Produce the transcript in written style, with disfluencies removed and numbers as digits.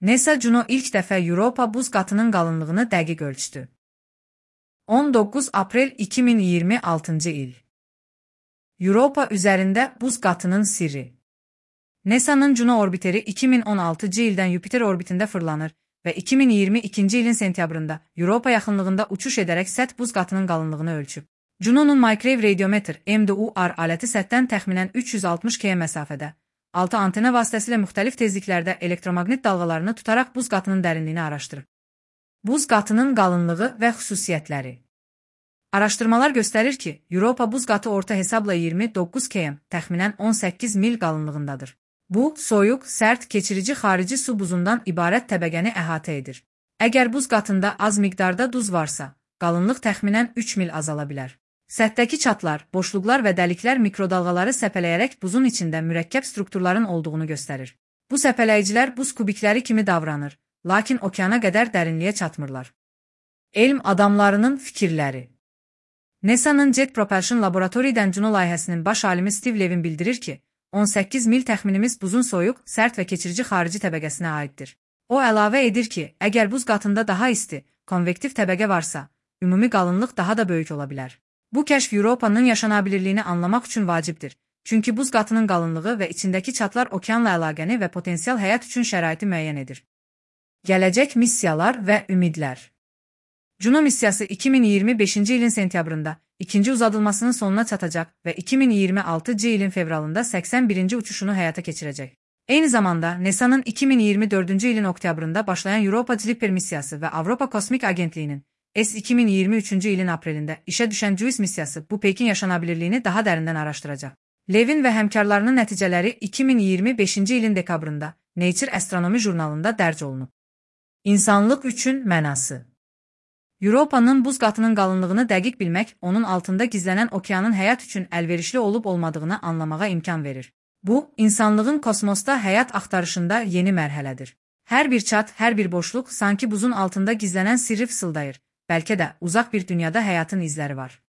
NASA Juno ilk dəfə Europa buz qatının qalınlığını dəqiq ölçdü. 19 aprel 2026-cı il. Europa üzərində buz qatının sirri. NASA'nın Juno orbiteri 2016-cı ildən Yupiter orbitində fırlanır və 2022-ci ilin sentyabrında Europa yaxınlığında uçuş edərək səth buz qatının qalınlığını ölçüb. Juno'nun Microwave Radiometer (MDUR) aləti səthdən təxminən 360 km məsafədə, 6 antena vasitəsilə müxtəlif tezliklərdə elektromaqnit dalğalarını tutaraq buz qatının dərinliyini araşdırıb. Buz qatının qalınlığı və xüsusiyyətləri. Araşdırmalar göstərir ki, Europa buz qatı orta hesabla 29 km, təxminən 18 mil qalınlığındadır. Bu, soyuq, sərt, keçirici xarici su buzundan ibarət təbəqəni əhatə edir. Əgər buz qatında az miqdarda duz varsa, qalınlıq təxminən 3 mil azala bilər. Səthdəki çatlar, boşluqlar və dəliklər mikrodalğaları səpələyərək buzun içində mürəkkəb strukturların olduğunu göstərir. Bu səpələyicilər buz kubikləri kimi davranır, lakin okeana qədər dərinliyə çatmırlar. Elm adamlarının fikirləri. NASA'nın Jet Propulsion Laboratory'dən Juno layihəsinin baş alimi Steve Levin bildirir ki, 18 mil təxminimiz buzun soyuq, sərt və keçirici xarici təbəqəsinə aiddir. O əlavə edir ki, əgər buz qatında daha isti, konvektiv təbəqə varsa, ümumi qalınlıq daha da böyük ola bilər. Bu kəşf Europanın yaşanabilirliyini anlamaq üçün vacibdir, çünki buz qatının qalınlığı və içindəki çatlar okeanla əlaqəni və potensial həyat üçün şəraiti müəyyən edir. Gələcək missiyalar və ümidlər. Juno missiyası 2025-ci ilin sentyabrında ikinci uzadılmasının sonuna çatacaq və 2026-cı ilin fevralında 81-ci uçuşunu həyata keçirəcək. Eyni zamanda NASA'nın 2024-cü ilin oktyabrında başlayan Europa Clipper missiyası və Avropa Kosmik Agentliyinin S-2023-cü ilin aprelində işə düşən JUICE missiyası bu Pekin yaşanabilirliyini daha dərindən araşdıracaq. Levin və həmkarlarının nəticələri 2025-ci ilin dekabrında Nature Astronomy jurnalında dərc olunub. İnsanlıq üçün mənası. Europanın buz qatının qalınlığını dəqiq bilmək, onun altında gizlənən okeanın həyat üçün əlverişli olub-olmadığını anlamağa imkan verir. Bu, insanlığın kosmosda həyat axtarışında yeni mərhələdir. Hər bir çat, hər bir boşluq sanki buzun altında gizlənən sirri fısıldayır. Bəlkə də uzaq bir dünyada həyatın izləri var.